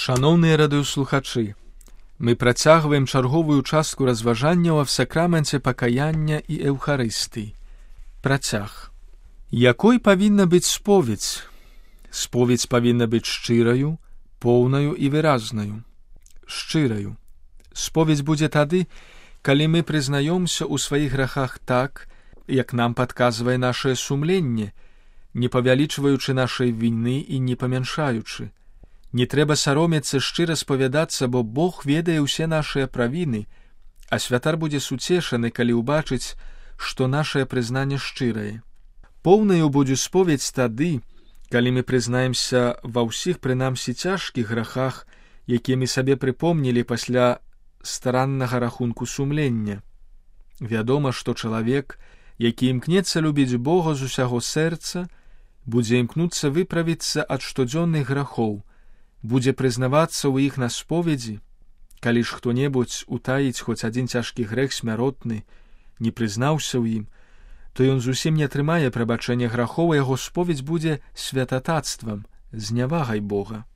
Шаноўныя радыёслухачы, мы працягваем чарговую частку разважанняў аб сакраменце пакаяння і эўхарыстыі. Працяг. Якой павінна быць споведзь? Споведзь павінна быць шчыраю, поўнаю і выразнаю. Шчыраю. Споведзь будзе тады, калі мы прызнаёмся ў сваіх грахах так, як нам падказвае нашае сумленне, не павялічваючы нашай віны і не памяншаючы. Не трэба саромецца шчыра спавядацца, бо Бог ведае ўсе нашыя правіны, а святар будзе суцешаны, калі ўбачыць, што нашае прызнанне шчырае. Поўнаю будзе споведзь тады, калі мы прызнаемся ва ўсіх прынамсі цяжкіх грахах, якія мы сабе прыпомнілі пасля стараннага рахунку сумлення. Вядома, што чалавек, які імкнецца любіць Бога з усяго сэрца, будзе імкнуцца выправіцца ад штодзённых грахоў, будзе прызнавацца ў іх на споведзі. Калі ж хто-небудзь утаіць хоць адзін цяжкі грэх смяротны, не прызнаўся ў ім, то ён зусім не атрымае прабачэння грахоў, яго споведзь будзе святататствам, знявагай Бога.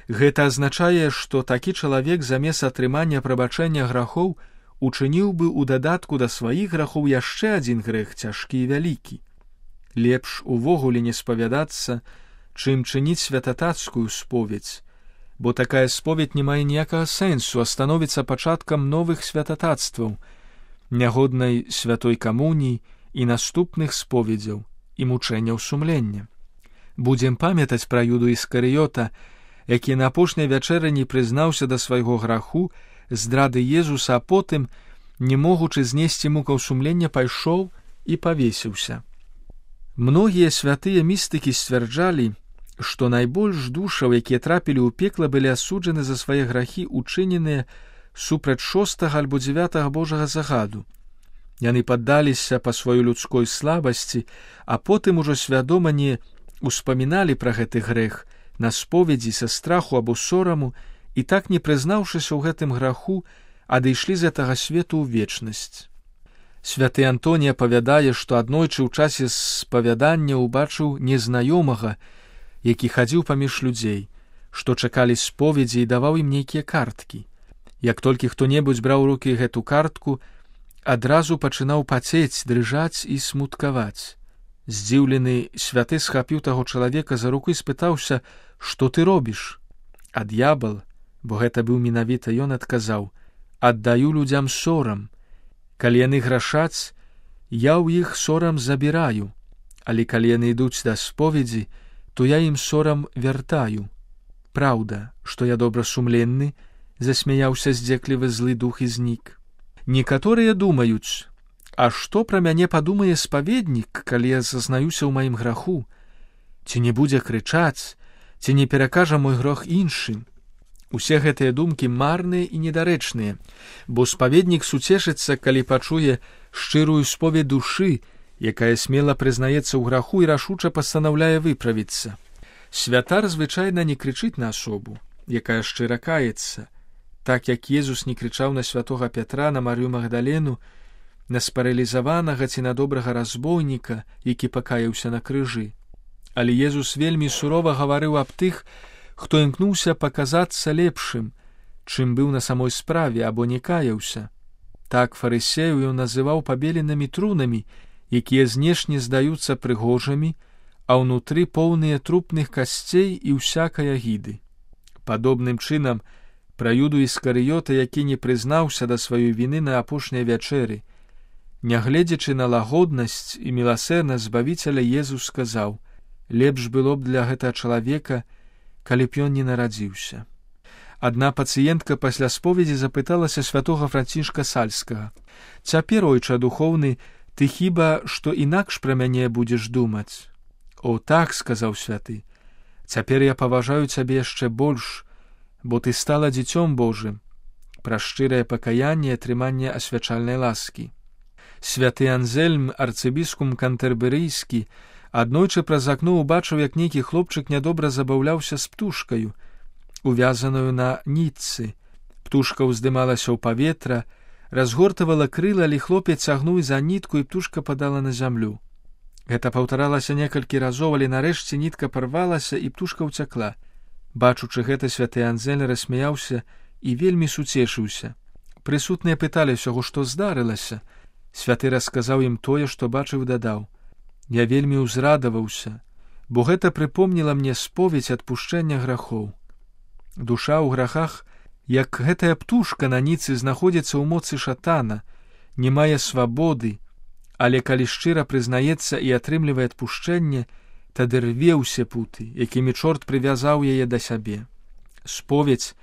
Гэта азначае, што такі чалавек замест атрымання прабачэння грахоў учыніў бы ў дадатку да сваіх грахоў яшчэ адзін грэх цяжкі і вялікі. Лепш увогуле не спавядацца, чым чыніць святатацкую споведзь, бо такая споведь не мае ніякага сэнсу, а становіцца пачаткам новых святатацтваў, нягоднай святой камуніі і наступных споведзяў і мучэнняў сумлення. Будзем памятаць пра Юду Іскарыёта, які на апошняй вячэры не прызнаўся да свайго граху, здрады Езуса, а потым, не могучы знесці мукаў сумлення, пайшоў і павесіўся. Многія святыя містыкі сцвярджалі, што найбольш душаў, якія трапілі ў пекла, былі асуджаны за свае грахі, учыненыя супраць 6 альбо 9 Божага загаду. Яны паддаліся па сваёй людской слабасці, а потым ужо свядома не успаміналі пра гэты грэх на споведзі са страху або сораму, і так, не прызнаўшыся ў гэтым граху, адышлі з гэтага свету ў вечнасць. Святы Антоній апавядае, што аднойчы ў часе спавядання ўбачыў незнаёмага, які хадзіў паміж людзей, што чакалі споведзі і даваў ім нейкія карткі. Як толькі хто-небудзь браў у рукі гэту картку, адразу пачынаў пацець, дрыжаць і смуткаваць. Здзіўлены святы схапіў таго чалавека за руку і спытаўся, што ты робіш? А д'ябал, бо гэта быў менавіта ён, адказаў: аддаю людзям сорам. Калі яны грашаць, я ў іх сорам забіраю, але калі яны ідуць да споведзі, то я ім сорам вяртаю. Праўда, што я добрасумленны, засмяяўся здзеклівы злы дух і знік. Некаторыя думаюць: а што пра мяне падумае спаведнік, калі я зазнаюся ў маім граху? Ці не будзе крычаць, ці не перакажа мой грох іншым? Усе гэтыя думкі марныя і недарэчныя, бо спаведнік суцешыцца, калі пачуе шчырую споведь душы, якая смела прызнаецца ў граху і рашуча пастанаўляе выправіцца. Святар звычайна не крычыць на асобу, якая шчыра каецца, так як Езус не крычаў на святога Пятра, на Марыю Магдалену, на спаралізаванага ці на добрага разбойніка, які пакаяўся на крыжы. Але Езус вельмі сурова гаварыў аб тых, хто імкнуўся паказацца лепшым, чым быў на самой справе або не каяўся. Так фарысею ён называў пабеленымі трунамі, якія знешне здаюцца прыгожымі, а ўнутры поўныя трупных касцей і ўсякай агіды. Падобным чынам, пра Юду Іскарыёта, які не прызнаўся да сваёй віны на апошняй вячэры, нягледзячы на лагоднасць і міласэрнасць Збавіцеля, Езус сказаў: лепш было б для гэтага чалавека, калі б ён не нарадзіўся. Адна пацыентка пасля споведзі запыталася святога Францішка Сальскага: цяпер, ойча духоўны, ты хіба што інакш пра мяне будзеш думаць? О, так, сказаў святы, цяпер я паважаю цябе яшчэ больш, бо ты стала дзіцём Божым, пра шчырае пакаянне і атрыманне асвячальнай ласкі. Святы Анзельм, арцыбіскуп кантерберыйскі, аднойчы праз акно ўбачыў, як нейкі хлопчык нядобра забаўляўся з птушкаю, увязаную на нітцы. Птушка ўздымалася ў паветра, разгортавала крылы, але хлопец цягнуў за нітку, і птушка падала на зямлю. Гэта паўтаралася некалькі разоў, але нарэшце нітка парвалася, і птушка ўцякла. Бачучы гэта, святы Анзель рассмяяўся і вельмі суцешыўся. Прысутныя пыталі ўсяго, што здарылася. Святы расказаў ім тое, што бачыў, дадаў: «Я вельмі ўзрадаваўся, бо гэта прыпомніла мне споведзь адпушчэння грахоў. Душа ў грахах, як гэтая птушка на ніцы, знаходзіцца ў моцы шатана, не мае свабоды, але калі шчыра прызнаецца і атрымлівае адпушчэнне, тады рве ўсе путы, якімі чорт прывязаў яе да сябе. Споведзь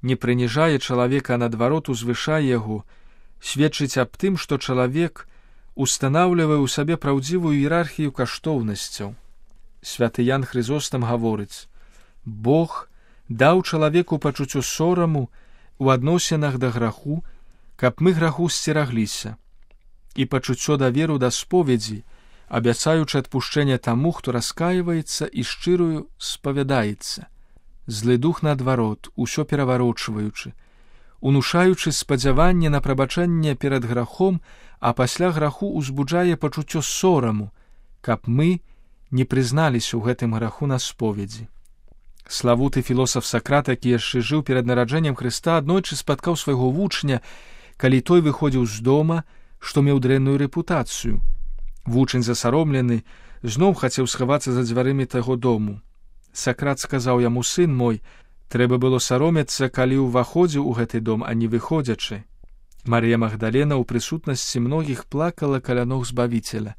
не прыніжае чалавека, а наадварот узвышае яго, сведчыць аб тым, што чалавек устанаўлівае ў сабе праўдзівую іерархію каштоўнасцяў. Святы Ян Хрызостам гаворыць: Бог даў чалавеку пачуццё сораму ў адносінах да граху, каб мы граху сцерагліся, і пачуццё даверу да споведзі, абяцаючы адпушчэнне таму, хто раскайваецца і шчырую спавядаецца. Злы дух, наадварот, усё пераварочваючы, унушаючы спадзяванне на прабачэнне перад грахом, а пасля граху узбуджае пачуццё сораму, каб мы не прызналіся ў гэтым граху на споведзі. Славуты філосаф Сакрат, які яшчэ жыў перад нараджэннем Хрыста, аднойчы спаткаў свайго вучня, калі той выходзіў з дома, што меў дрэнную рэпутацыю. Вучань, засаромлены, зноў хацеў схавацца за дзвярымі таго дому. Сакрат сказаў яму: «Сын мой, трэба было саромецца, калі ўваходзіў у гэты дом, а не выходзячы». Марыя Магдалена ў прысутнасці многіх плакала каля ног Збавіцеля.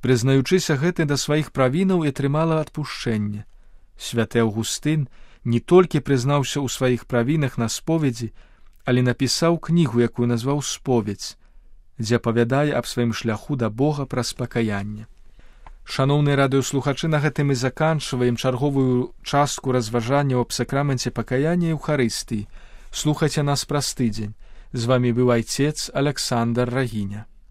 Прызнаючыся гэты да сваіх правінаў, і атрымала адпушчэнне. Святы Аўгустын не толькі прызнаўся ў сваіх правінах на споведзі, але напісаў кнігу, якую назваў «Споведзь», дзе апавядае аб сваім шляху да Бога праз пакаянне. Шаноўныя радыёслухачы, на гэтым мы заканчваем чарговую частку разважанняў аб сакраменце пакаяння і Эўхарыстыі. Слухайце нас праз тыдзень. З вамі быў айцец Аляксандр Рагіня.